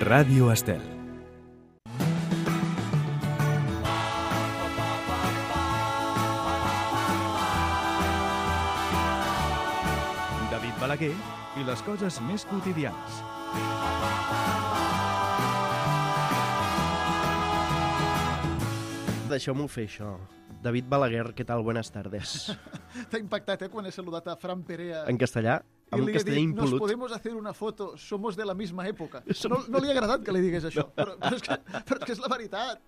Ràdio Estel. David Balaguer i les coses més quotidianes. Deixeu-m'ho fer, això. David Balaguer, què tal? Buenas tardes. T'ha impactat, quan he saludat a Fran Perea. En castellà? En castellà impolut. Nos podemos hacer una foto, somos de la misma època. No li ha agradat que li digués això, però és que és la veritat.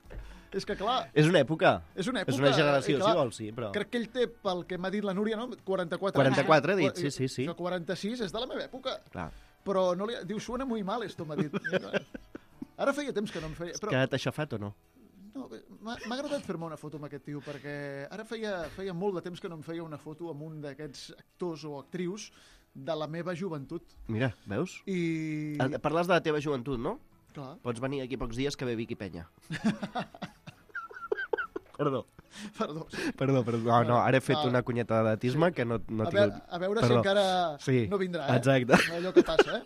És que, clar... És una època. És una època. És una generació, clar, si vols, sí, però... Crec que ell té, pel que m'ha dit la Núria, no? 44 44, ha dit, sí. Que 46 és de la meva època. Clar. Però no li... Diu, suena muy mal, esto, m'ha dit. Ara feia temps que no em feia... Has quedat aixafat o no? No, m'ha agradat fer-me una foto amb aquest tio, perquè ara feia molt de temps que no em feia una foto amb un d'aquests actors o actrius de la meva joventut. Mira, veus? I... Parles de la teva joventut, no? Clar. Pots venir aquí pocs dies que ve Vicky Penya. Perdó. Sí. Perdó. No, ara he fet una cunyeta d'atisme que no tinc... A veure si encara no vindrà, Exacte. Allò que passa,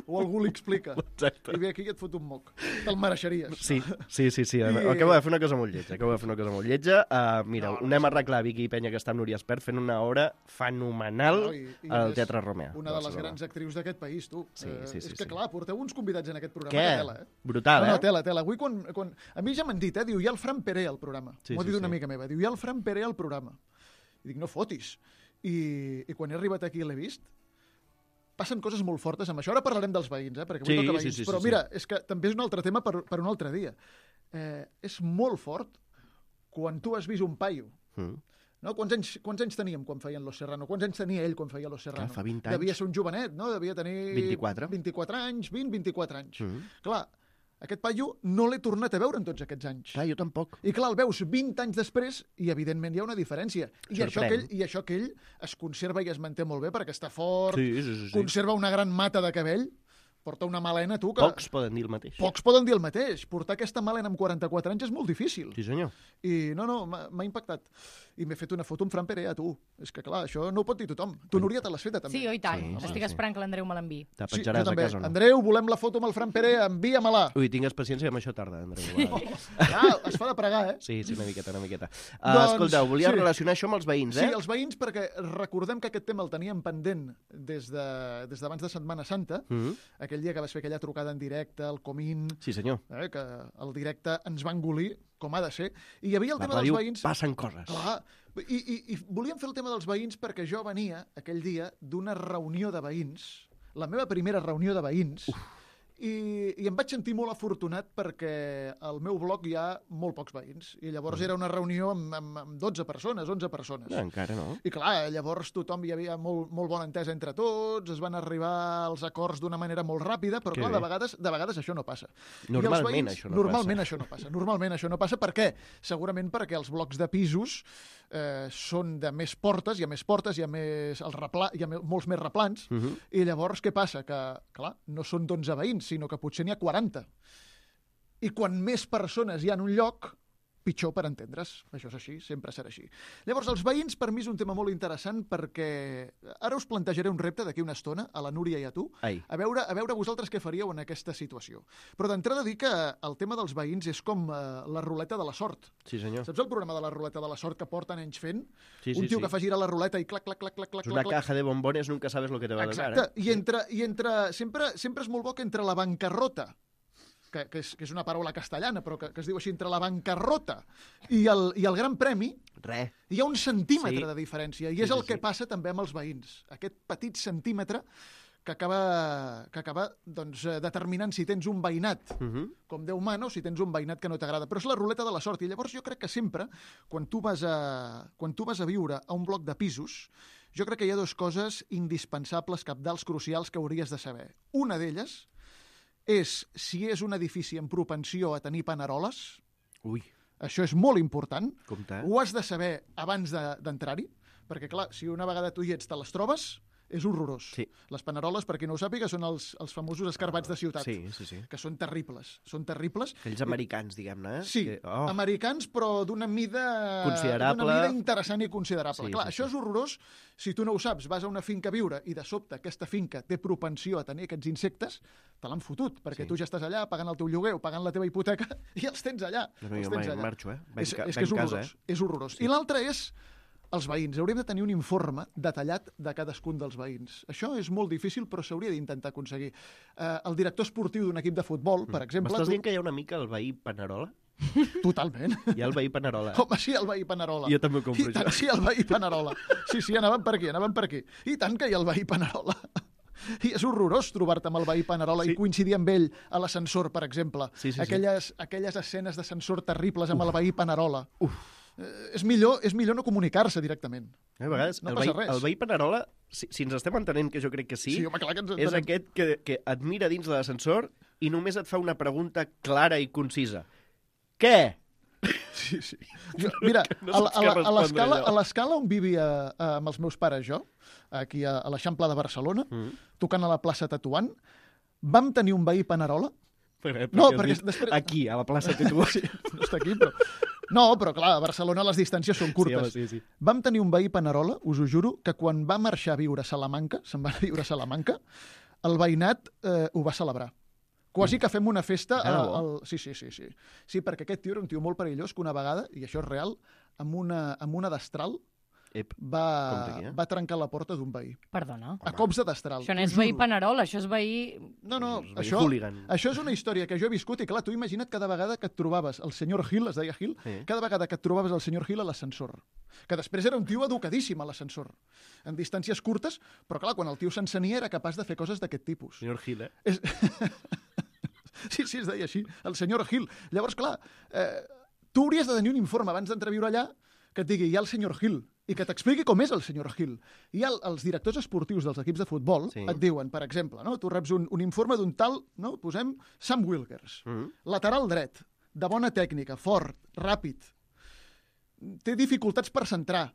O algú li explica. Exacte. I ve aquí i et fot un moc. Te'l mereixeries. Sí. Acabo de fer una cosa molt lletja. Mira, anem a arreglar Vicky Penya, que està amb Núria Espert, fent una obra fenomenal al Teatre Romea. Una de les grans actrius d'aquest país, tu. Sí. És que, clar, porteu uns convidats en aquest programa. Què? Tela, Brutal, No, tela. Avui, quan... A mi ja m'han dit, diu, hi ha el Fran Perea al programa. M'ho ha dit una amiga meva. Diu, hi ha el Fran Perea al programa. I dic, no fotis. I quan he arribat aquí i l'he vist, passen coses molt fortes amb això. Ara parlarem dels veïns, perquè avui toca veïns. Però mira, és que també és un altre tema per un altre dia. És molt fort quan tu has vist un paio. No? Quants anys teníem quan feien Los Serrano? Quants anys tenia ell quan feia Los Serrano? Clar, fa 20 anys. Devia ser un jovenet, no? Devia tenir... 24. 24 anys, 24 anys. Clar, aquest paio no l'he tornat a veure en tots aquests anys. Clar, jo tampoc. I clar, el veus 20 anys després i evidentment hi ha una diferència. I això que ell es conserva i es manté molt bé perquè està fort, conserva una gran mata de cabell, porta una melena, tu, que... Pocs poden dir el mateix. Portar aquesta melena amb 44 anys és molt difícil. Sí, senyor. I no, m'ha impactat. I m'he fet una foto amb Fran Perea, tu. És que, clar, això no ho pot dir tothom. Tu, Núria, te l'has feta, també. Sí, i tant. Estic esperant que l'Andreu me l'enviï. Te penjaràs a casa o no? Andreu, volem la foto amb el Fran Perea, envia-me-la. Ui, tingues paciència, amb això tarda, Andreu. Es fa de pregar, Sí, una miqueta. Escolteu, volia relacionar això amb els veïns, Sí, els veïns, perquè recordem que aquest tema el teníem pendent des d'abans de Setmana Santa, aquell dia que vas fer aquella trucada en directe, el Comín... Sí, senyor. Que el directe ens va engolir, com ha de ser. I hi havia el tema dels veïns... Passen coses. Clar. I volíem fer el tema dels veïns perquè jo venia aquell dia d'una reunió de veïns, la meva primera reunió de veïns, i em vaig sentir molt afortunat perquè al meu bloc hi ha molt pocs veïns. I llavors era una reunió amb 12 persones, 11 persones. No, encara no. I clar, llavors tothom hi havia molt bona entesa entre tots, es van arribar als acords d'una manera molt ràpida, però clar, de vegades això no passa. Normalment això no passa. Per què? Segurament perquè els blocs de pisos són de més portes, hi ha molts més replans, i llavors què passa? Que, clar, no són d'11 veïns, sinó que potser n'hi ha 40. I quan més persones hi ha en un lloc, pitjor per entendre's. Això és així, sempre serà així. Llavors, els veïns, per mi, és un tema molt interessant perquè ara us plantejaré un repte d'aquí una estona, a la Núria i a tu, a veure vosaltres què faríeu en aquesta situació. Però d'entrada dir que el tema dels veïns és com la ruleta de la sort. Sí, senyor. Saps el programa de la ruleta de la sort que porten anys fent? Un tio que fa girar la ruleta i clac, clac, clac, clac, clac. És una caja de bombones, nunca sabes lo que te va a tocar. Exacte. I sempre és molt bo que entre la bancarrota, que és una paraula castellana, però que es diu així, entre la bancarrota i el gran premi, hi ha un centímetre de diferència, i és el que passa també amb els veïns. Aquest petit centímetre que acaba doncs, determinant si tens un veïnat com Déu mana o si tens un veïnat que no t'agrada. Però és la ruleta de la sort, i llavors jo crec que sempre, quan tu vas a viure a un bloc de pisos, jo crec que hi ha dues coses indispensables, cabdals, crucials, que hauries de saber. Una d'elles és si és un edifici amb propensió a tenir paneroles. Això és molt important. Ho has de saber abans d'entrar-hi, perquè, clar, si una vegada tu hi ets te les trobes, és horrorós. Sí. Les paneroles, per qui no ho sàpiga, són els famosos escarbats de ciutat, Sí. que són terribles. Són terribles. Aquells americans, diguem-ne, Sí, americans, però d'una mida... Considerable. D'una mida interessant i considerable. Sí, Clar, sí, això sí. és horrorós si tu no ho saps. Vas a una finca a viure i de sobte aquesta finca té propensió a tenir aquests insectes, te l'han fotut, perquè tu ja estàs allà pagant el teu lloguer o pagant la teva hipoteca i els tens allà. No, jo mai marxo, És que és horrorós. És horrorós. I l'altre és els veïns. Hauríem de tenir un informe detallat de cadascun dels veïns. Això és molt difícil, però s'hauria d'intentar aconseguir. El director esportiu d'un equip de futbol, per exemple... M'estàs dient que hi ha una mica el veí Panerola? Totalment. Hi ha el veí Panerola. Home, sí, el veí Panerola. Jo també ho compro, I tant, sí, el veí Panerola. Sí, anàvem per aquí. I tant que hi ha el veí Panerola. I és horrorós trobar-te amb el veí Panerola i coincidir amb ell a l'ascensor, per exemple. Sí. Aquelles escenes d'ascensor terribles amb el veí Panerola. És millor no comunicar-se directament. A vegades, no passa res. El veí Panerola, si ens estem entenent, que jo crec que sí, home, clar que ens és entenem. aquest que et mira dins de l'ascensor i només et fa una pregunta clara i concisa. Què? Sí. Mira, No saps què respondre, a l'escala on vivia amb els meus pares jo, aquí a l'Eixample de Barcelona, tocant a la plaça Tetuan, vam tenir un veí Panerola. No, perquè després... Aquí, a la plaça Tetuan. Sí, no està aquí, però... No, però clar, a Barcelona les distàncies són curtes. Sí. Vam tenir un veí Panerola, us ho juro, que quan va marxar a viure a Salamanca, se'n va viure a Salamanca, el veïnat ho va celebrar. Quasi que fem una festa... Sí. Sí, perquè aquest tio era un tio molt perillós que una vegada, i això és real, amb una destral va trencar la porta d'un veí. Perdona. A cops de destral. Això no és veí Panerola, això és veí... No, hooligan. això és una història que jo he viscut i clar, tu imagina't cada vegada que et trobaves el senyor Gil, es deia Gil, cada vegada que et trobaves el senyor Gil a l'ascensor, que després era un tio educadíssim a l'ascensor, en distàncies curtes, però clar, quan el tio s'encenia era capaç de fer coses d'aquest tipus. Senyor Gil, Sí, es deia així, el senyor Gil. Llavors, clar, tu hauries de tenir un informe abans d'entrar a viure allà que et digui, hi ha el senyor Gil, i que t'expliqui com és el senyor Gil. I els directors esportius dels equips de futbol et diuen, per exemple, no? Tu reps un informe d'un tal, no? Posem Sam Wilkers, lateral dret, de bona tècnica, fort, ràpid, té dificultats per centrar,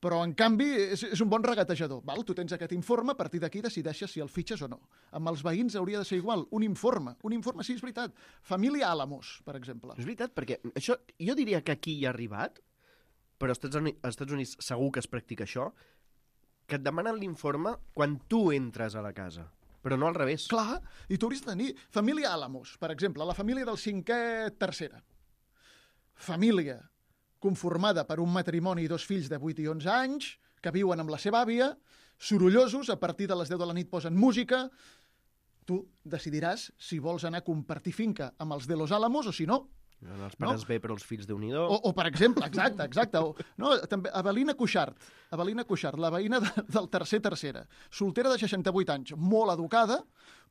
però, en canvi, és un bon regatejador. Val? Tu tens aquest informe, a partir d'aquí decideixes si el fitxes o no. Amb els veïns hauria de ser igual. Un informe, sí, és veritat. Família Álamos, per exemple. És veritat, perquè això, jo diria que aquí hi ha arribat, però als Estats Units segur que es practica això, que et demanen l'informe quan tu entres a la casa, però no al revés. Clar, i tu hauries de tenir família Álamos, per exemple, la família del 5è tercera. Família conformada per un matrimoni i 2 fills de 8 i 11 anys, que viuen amb la seva àvia, sorollosos, a partir de les 10 de la nit posen música. Tu decidiràs si vols anar a compartir finca amb els de Los Álamos o si no. Els pares bé, però els fills Déu-n'hi-do. O per exemple, exacte. També Avelina Cuixart, la veïna del tercera, soltera de 68 anys, molt educada,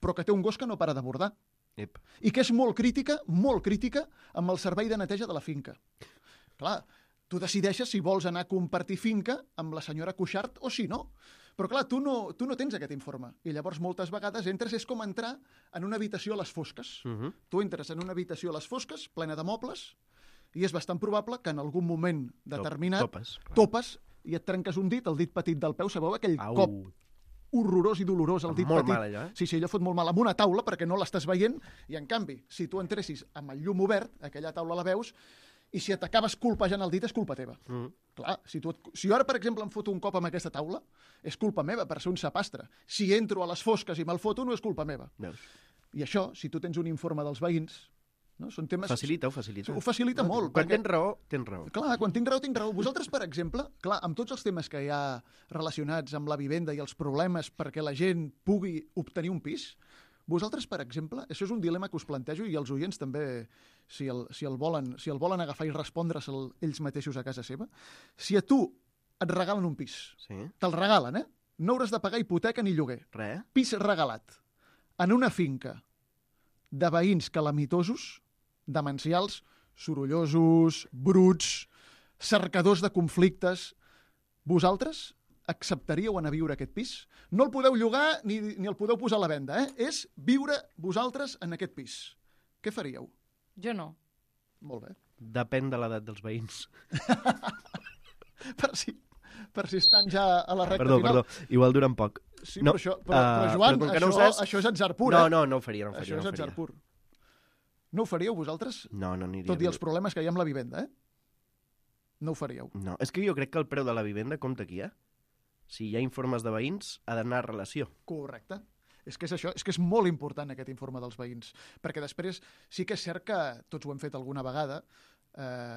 però que té un gos que no para de bordar. I que és molt crítica amb el servei de neteja de la finca. Clar, tu decideixes si vols anar a compartir finca amb la senyora Cuixart o si no. Però clar, tu no tens aquest informe. I llavors moltes vegades entres, és com entrar en una habitació a les fosques. Tu entres en una habitació a les fosques, plena de mobles, i és bastant probable que en algun moment determinat topes i et trenques un dit, el dit petit del peu, sabeu aquell cop horrorós i dolorós al dit petit. Molt mal, allò, Sí, allò fot molt mal amb una taula perquè no l'estàs veient i, en canvi, si tu entressis amb el llum obert, aquella taula la veus, i si t'acabes colpejant el dit és culpa teva. Clar, si jo ara, per exemple, em foto un cop amb aquesta taula, és culpa meva per ser un sapastre. Si entro a les fosques i me'l foto, no és culpa meva. I això, si tu tens un informe dels veïns, no? Són temes... Facilita. Ho facilita molt. Quan tens raó, tens raó. Clar, quan tinc raó. Vosaltres, per exemple, clar, amb tots els temes que hi ha relacionats amb la vivenda i els problemes perquè la gent pugui obtenir un pis, vosaltres, per exemple, això és un dilema que us plantejo i els oients també, si el volen agafar i respondre'l ells mateixos a casa seva, si a tu et regalen un pis, te'l regalen, no hauràs de pagar hipoteca ni lloguer. Res. Pis regalat en una finca de veïns calamitosos, demencials, sorollosos, bruts, cercadors de conflictes. Vosaltres acceptaríeu anar a viure aquest pis? No el podeu llogar ni el podeu posar a la venda, És viure vosaltres en aquest pis. Què faríeu? Jo no. Molt bé. Depèn de l'edat dels veïns. Per si estan ja a la recta Perdó, final. igual duren poc. Sí, No, però Joan, però com que no ho saps- això és atzar pur, eh? No ho faria, Això és no ho atzar faria. pur. No ho faríeu vosaltres? No aniria. Tot i els problemes que hi ha amb la vivenda, eh? No ho faríeu. No, és que jo crec que el preu de la vivenda compta aquí, eh? Si hi ha informes de veïns, ha d'anar a relació. Correcte. És que és això, és que és molt important aquest informe dels veïns, perquè després sí que és cert que tots ho hem fet alguna vegada,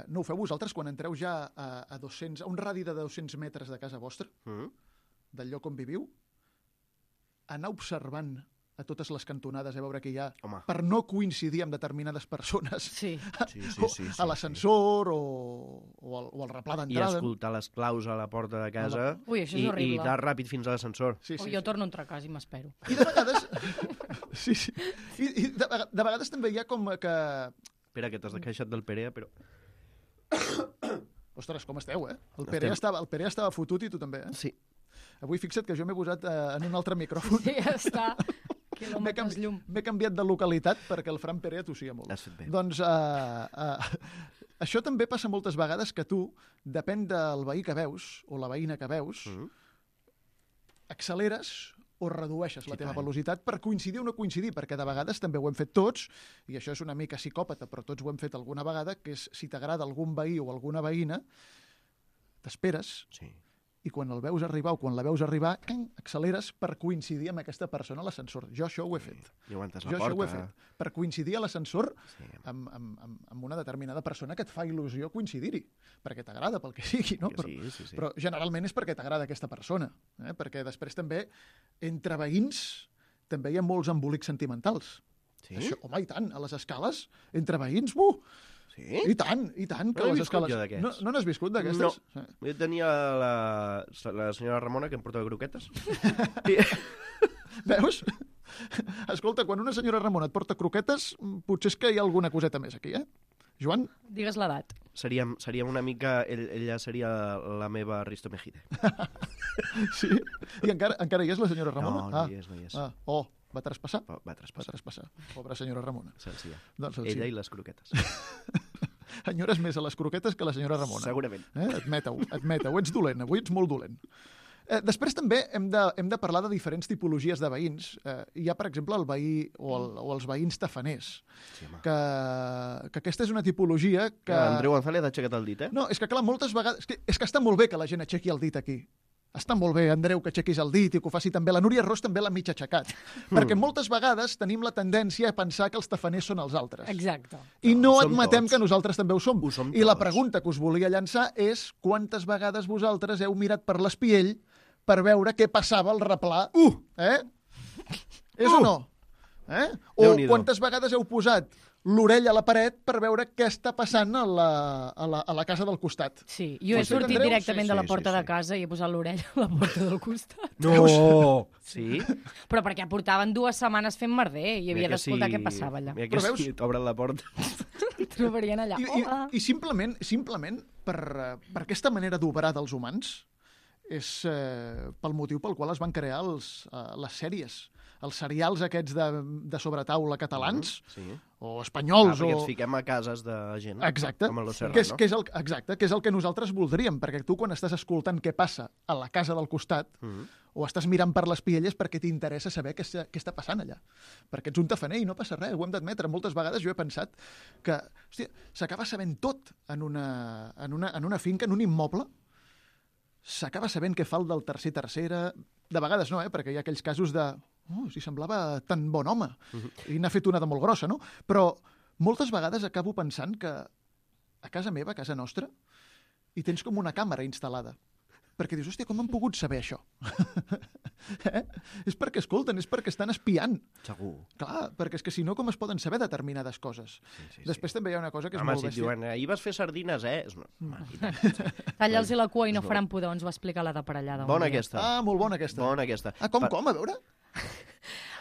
no ho feu vosaltres quan entreu ja a un radi de 200 metres de casa vostra, del lloc on viviu, anar observant a totes les cantonades a veure què hi ha, Home. per no coincidir amb determinades persones Sí. Sí, a l'ascensor o al replà I d'entrada. escoltar les claus a la porta de casa Ui, això és horrible. i anar ràpid fins a l'ascensor. Sí, O jo torno a entrar a casa i m'espero. I de vegades... sí. I de vegades també hi ha com que... Espera, que t'has queixat del Perea, però... Ostres, com esteu, eh? El Perea estava fotut i tu també, eh? Sí. Avui fixa't que jo m'he posat en un altre micròfon. Sí, ja està. Quilòmetres llum. M'he canviat de localitat perquè el Fran Perea tossia molt. Has fet bé. Doncs això també passa moltes vegades que tu, depèn del veí que veus o la veïna que veus, acceleres o redueixes la teva tant. velocitat per coincidir o no coincidir, perquè de vegades també ho hem fet tots, i això és una mica psicòpata, però tots ho hem fet alguna vegada, que és si t'agrada algun veí o alguna veïna, t'esperes, Sí. i quan el veus arribar o quan la veus arribar, acceleres per coincidir amb aquesta persona a l'ascensor. Jo això ho he fet. I aguantes Jo la això ho he porta. fet. Per coincidir a l'ascensor Sí. amb una determinada persona que et fa il·lusió coincidir-hi, perquè t'agrada, pel que sigui, no? Que sí. Però generalment és perquè t'agrada aquesta persona, perquè després també, entre veïns, també hi ha molts embolics sentimentals. Sí? Això, home, i tant, a les escales, entre veïns, Sí? i tant, que No he les viscut escales... jo d'aquests. No n'has viscut d'aquestes? No. Sí. Jo tenia la senyora Ramona, que em portava croquetes. I... Veus? Escolta, quan una senyora Ramona et porta croquetes, potser és que hi ha alguna coseta més aquí, eh? Joan? Digues l'edat. Seríem una mica... Ella seria la meva Risto Mejide. Sí? I encara hi és la senyora Ramona? No hi és. Va traspassar? Va Va traspassar. traspassar. Pobra senyora Ramona. Sencilla. Doncs Ella i les croquetes. Enyores més a les croquetes que la senyora Ramona. Segurament. Admeta-ho. Ets dolent, avui ets molt dolent. Després també hem de parlar de diferents tipologies de veïns. Hi ha, per exemple, el veí o els veïns tafaners, Sí, home. que aquesta és una tipologia que... Andreu González ha aixecat el dit, eh? No, és que clar, moltes vegades... És que està molt bé que la gent aixequi el dit aquí. Està molt bé, Andreu, que aixequis el dit i que ho faci també. La Núria Ros també l'ha mig aixecat. Perquè moltes vegades tenim la tendència a pensar que els tafaners són els altres. Exacte. I no som admetem tots. que nosaltres també ho som. Ho som I la tots. pregunta que us volia llançar és quantes vegades vosaltres heu mirat per l'espiell per veure què passava al replà? És o no? O Déu-n'hi-do. quantes vegades heu posat l'orella a la paret per veure què està passant a la casa del costat? Sí, jo he Pues sí, sortit Andreu? directament de la Sí, porta sí. de casa i he posat l'orella a la porta del costat. No! Sí? Però perquè portaven 2 setmanes fent merder i havia d'escoltar què passava allà. Mira Però que veus? si t'obren la porta... Trobarien allà. Hola. I simplement per aquesta manera d'obrar dels humans és pel motiu pel qual es van crear les sèries, els serials aquests de sobretaula catalans, Sí. o espanyols, perquè o... ens fiquem a cases de gent. Exacte, Com a Los que és Serrano. que és el que nosaltres voldríem, perquè tu quan estàs escoltant què passa a la casa del costat, o estàs mirant per les pielles perquè t'interessa saber què està passant allà. Perquè ets un tafaner i no passa res, ho hem d'admetre. Moltes vegades jo he pensat que s'acaba sabent tot en una finca, en un immoble, s'acaba sabent què fa el del tercera, de vegades no, perquè hi ha aquells casos de si semblava tan bon home i n'ha fet una de molt grossa, no? Però moltes vegades acabo pensant que a casa meva, a casa nostra, hi tens com una càmera instal·lada. Perquè dius, hòstia, com han pogut saber això? És perquè escolten, és perquè estan espiant. Segur. Clar, perquè és que si no, com es poden saber determinades coses? Sí. Després també hi ha una cosa que és Home, molt si et bèstia. diuen, ahir vas fer sardines, És una... Talla'ls la cua i no faran pudor, ens va explicar la de parellada. Bona aquesta. Molt bona aquesta. Bona aquesta. Com, a veure?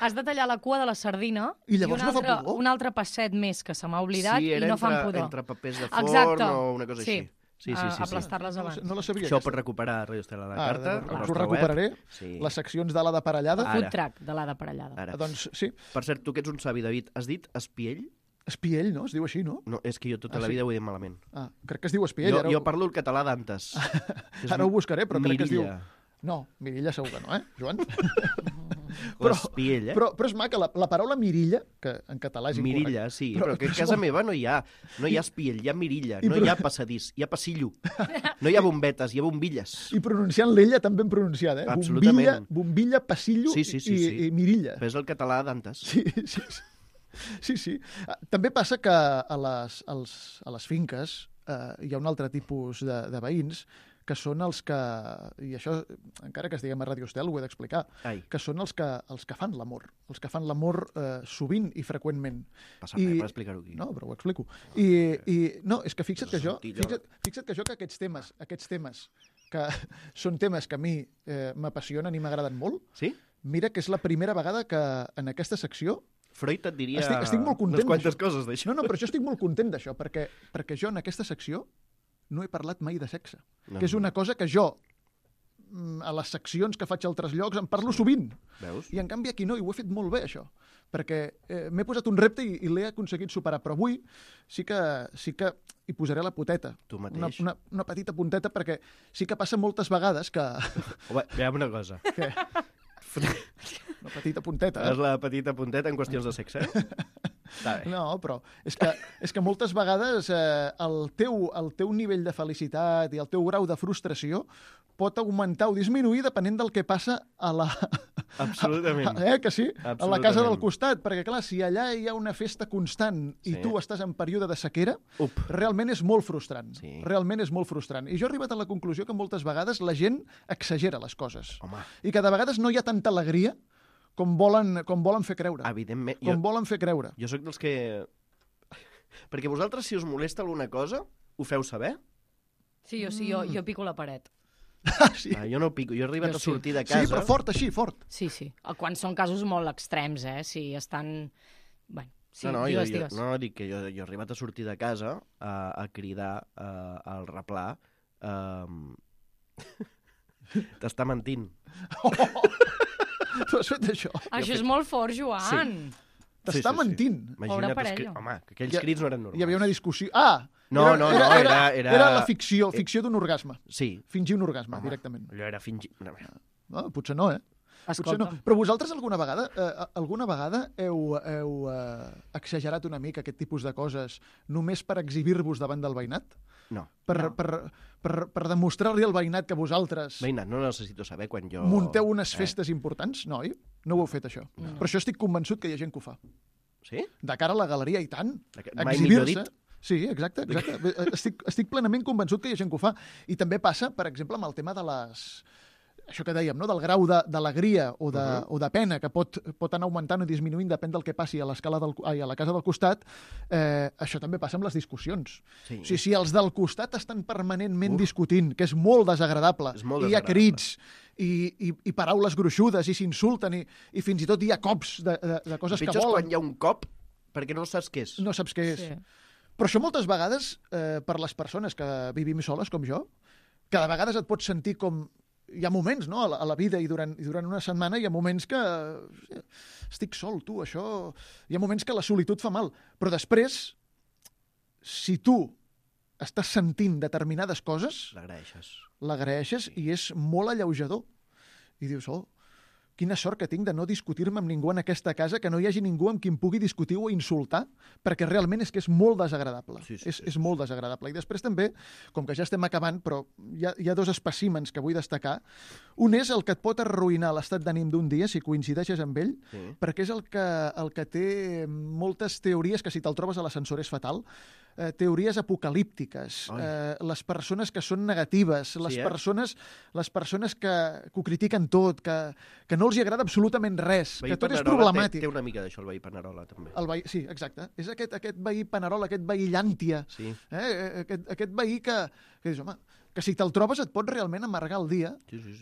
Has de tallar la cua de la sardina I llavors no fa pudor? un altre passet més que se m'ha oblidat Sí, i no fan pudor. entre papers de forn Exacte. o una cosa així. Sí. Aplastar-les abans. No la sabia, Això ho aquesta. pots recuperar a Radio Estela a la carta. al Ho nostre recuperaré. web. Sí. Les seccions de la de parellada. Ara. Food track de la de parellada. Ara. Doncs sí, Per cert, tu que ets un savi, David, has dit espiell? espiell, no? Es diu així, no? No, és que jo tota Ah, la sí? vida ho he dit malament. Crec que es diu espiell. Jo parlo el català d'antes. Ara ho buscaré, però crec que es diu... Mirilla. No, mirilla segur que no, Joan? L'espiell, Però és maca, la paraula mirilla, que en català és incorrecte. Mirilla, sí, però que a casa meva no hi ha espiell, hi ha mirilla, no hi ha passadís, hi ha passillo. No hi ha bombetes, hi ha bombilles. I pronunciant l'ella tan ben pronunciada, Absolutament. Bombilla, passillo Sí. i mirilla. Però és el català d'antes. Sí. També passa que a les finques hi ha un altre tipus de veïns que són els que, i això encara que estiguem a Radio Estel ho he d'explicar, que són els que fan l'amor. Els que fan l'amor sovint i freqüentment. Passa res per explicar-ho aquí. No, però ho explico. No, és que fixa't que aquests temes, que són temes que a mi m'apassionen i m'agraden molt, sí? Mira que és la primera vegada que en aquesta secció Freud et diria estic molt content unes quantes coses d'això. No, però jo estic molt content d'això, perquè jo en aquesta secció no he parlat mai de sexe. Que és una cosa que jo, a les seccions que faig a altres llocs, en parlo sovint. Veus? I en canvi aquí no, i ho he fet molt bé, això. Perquè m'he posat un repte i l'he aconseguit superar. Però avui sí que hi posaré la poteta. Tu mateix. Una petita punteta, perquè sí que passa moltes vegades que... Home, veiem una cosa. Què? Una petita punteta. És la petita punteta en qüestions de sexe, No, però és que moltes vegades el teu nivell de felicitat i el teu grau de frustració pot augmentar o disminuir depenent del que passa a la... Absolutament. Que sí? A la casa del costat. Perquè, clar, si allà hi ha una festa constant i tu estàs en període de sequera, realment és molt frustrant. Sí. Realment és molt frustrant. I jo he arribat a la conclusió que moltes vegades la gent exagera les coses. Home. I que de vegades no hi ha tanta alegria com volen fer creure. Evidentment. Volen fer creure. Jo sóc dels que... Perquè vosaltres, si us molesta alguna cosa, ho feu saber? Sí, jo pico la paret. Sí. Jo no pico, jo he arribat a sortir de casa... Sí, però fort, així, fort. Sí. Quan són casos molt extrems, Si estan... Bueno, sí, digues. No, dic que jo he arribat a sortir de casa a cridar al replà t'està mentint. Tu has fet això? Això és molt fort, Joan. T'està mentint. Pobre parella. Home, que aquells crits no eren normals. Hi havia una discussió... Era la ficció d'un orgasme. Sí. Fingir un orgasme, directament. Allò era fingir... No, potser no, Potser no. Però vosaltres alguna vegada heu exagerat una mica aquest tipus de coses només per exhibir-vos davant del veïnat? No. Per demostrar-li al veïnat que vosaltres... Veïnat, no necessito saber quan jo... Munteu unes festes importants? No, oi? No ho heu fet, això. No. Però això estic convençut que hi ha gent que ho fa. Sí? De cara a la galeria, i tant. Mai millor dit. Sí, exacte. Estic plenament convençut que hi ha gent que ho fa. I també passa, per exemple, amb el tema de les... Això que dèiem, no? Del grau d'alegria o de pena que pot anar augmentant o disminuint, depèn del que passi a la casa del costat, això també passa amb les discussions. Sí. O sigui, si els del costat estan permanentment discutint, que és molt desagradable, i hi ha crits, i paraules gruixudes, i s'insulten, i fins i tot hi ha cops de coses que volen. Pitjor és quan hi ha un cop, perquè no saps què és. No saps què és. Sí. Però això moltes vegades, per les persones que vivim soles, com jo, que de vegades et pots sentir com... Hi ha moments, no?, a la vida i durant una setmana hi ha moments que estic sol, tu, això... Hi ha moments que la solitud fa mal. Però després, si tu estàs sentint determinades coses... L'agraeixes i és molt alleujador. I dius, quina sort que tinc de no discutir-me amb ningú en aquesta casa, que no hi hagi ningú amb qui em pugui discutir o insultar, perquè realment és que és molt desagradable. És molt desagradable. I després també, com que ja estem acabant, però hi ha dos espècimens que vull destacar. Un és el que et pot arruïnar l'estat d'ànim d'un dia, si coincideixes amb ell, perquè és el que té moltes teories que si te'l trobes a l'ascensor és fatal, teories apocalíptiques, les persones que són negatives, les persones que ho critiquen tot, que no els hi agrada absolutament res, que tot és problemàtic. Té una mica d'això, el veí Panerola, també. Sí, exacte. És aquest veí Panerola, aquest veí llàntia, aquest veí que dius, home, que si te'l trobes et pot realment amargar el dia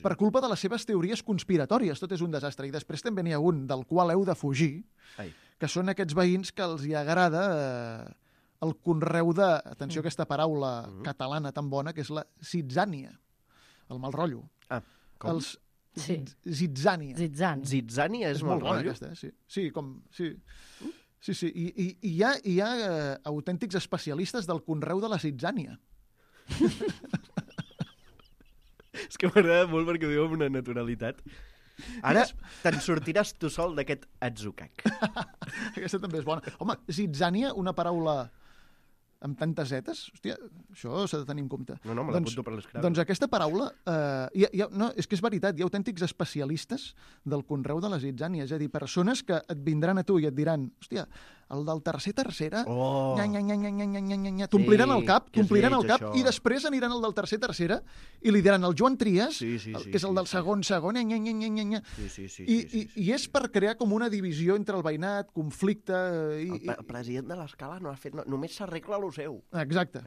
per culpa de les seves teories conspiratòries. Tot és un desastre. I després també n'hi ha un del qual heu de fugir, que són aquests veïns que els hi agrada... el conreu de, atenció a aquesta paraula catalana tan bona, que és la zitzània, el mal rotllo. Com? Zitzània. Zitzània és mal rotllo? Aquesta, sí. Sí. I hi ha autèntics especialistes del conreu de la zitzània. És que m'agrada molt perquè ho diu amb una naturalitat. Ara te'n sortiràs tu sol d'aquest atzucac. Aquesta també és bona. Home, zitzània, una paraula amb tantes zetes, hòstia, això s'ha de tenir en compte. No, me l'apunto per l'escrava. Doncs aquesta paraula, no, és que és veritat, hi ha autèntics especialistes del conreu de la zitzània, és a dir, persones que et vindran a tu i et diran, hòstia, el del tercera, t'ompliran el cap, i després aniran al del tercera i li diran el Joan Trias, que és el del segon, i és per crear com una divisió entre el veïnat, conflicte... El president de l'escala no ha fet... Només s'arregla lo seu. Exacte.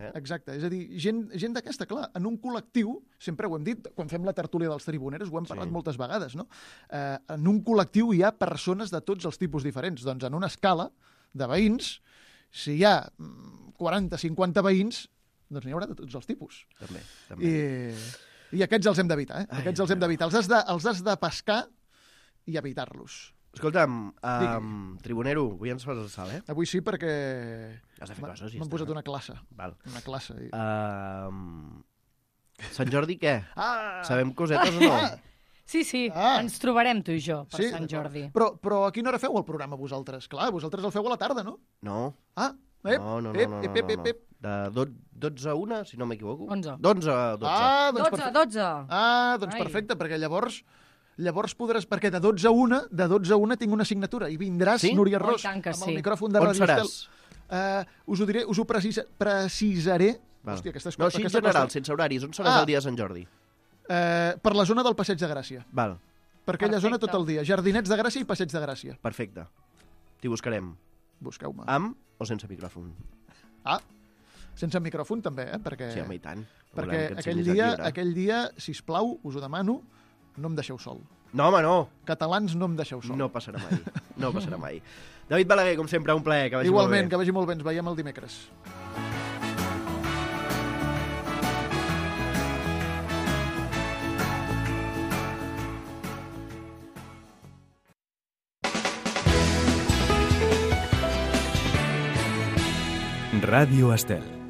És a dir, gent d'aquesta, clar, en un col·lectiu, sempre ho hem dit, quan fem la tertúlia dels tribuneros, ho hem parlat moltes vegades, no? En un col·lectiu hi ha persones de tots els tipus diferents. Doncs en una escala de veïns, si hi ha 40-50 veïns, doncs n'hi haurà de tots els tipus. També. I aquests els hem d'evitar, Aquests els hem d'evitar. Els has de pescar i evitar-los. Escolta'm, tribunero, avui ens fas el salt, Avui sí, perquè has de fer coses. M'han posat una classe. Val. Una classe. Sant Jordi, què? Sabem cosetes o no? Sí, ens trobarem tu i jo per Sant Jordi. Però a quina hora feu el programa vosaltres? Clar, vosaltres el feu a la tarda, no? No. No. De 12 a 1, si no m'equivoco. 11. D'11 a 12. 12. Doncs perfecte, perquè llavors podràs... Perquè de 12 a 1 tinc una assignatura i vindràs, Núria Ros, amb el micròfon de Radio Estel. Us ho diré, us ho precisaré. Hòstia, no, així en general, sense horaris. On seràs el dia de Sant Jordi? Per la zona del Passeig de Gràcia. Val. Per aquella zona tot el dia. Jardinets de Gràcia i Passeig de Gràcia. Perfecte. T'hi buscarem. Busqueu-me. Amb o sense micròfon? Sense micròfon també, perquè... Sí, home, i tant. Perquè aquell dia, sisplau, us ho demano, no em deixeu sol. No, home, no. Catalans, no em deixeu sol. No passarà mai. No passarà mai. David Balaguer, com sempre, un plaer. Que vagi Igualment, molt bé. Que vagi molt bé. Ens veiem el dimecres. Ràdio Estel.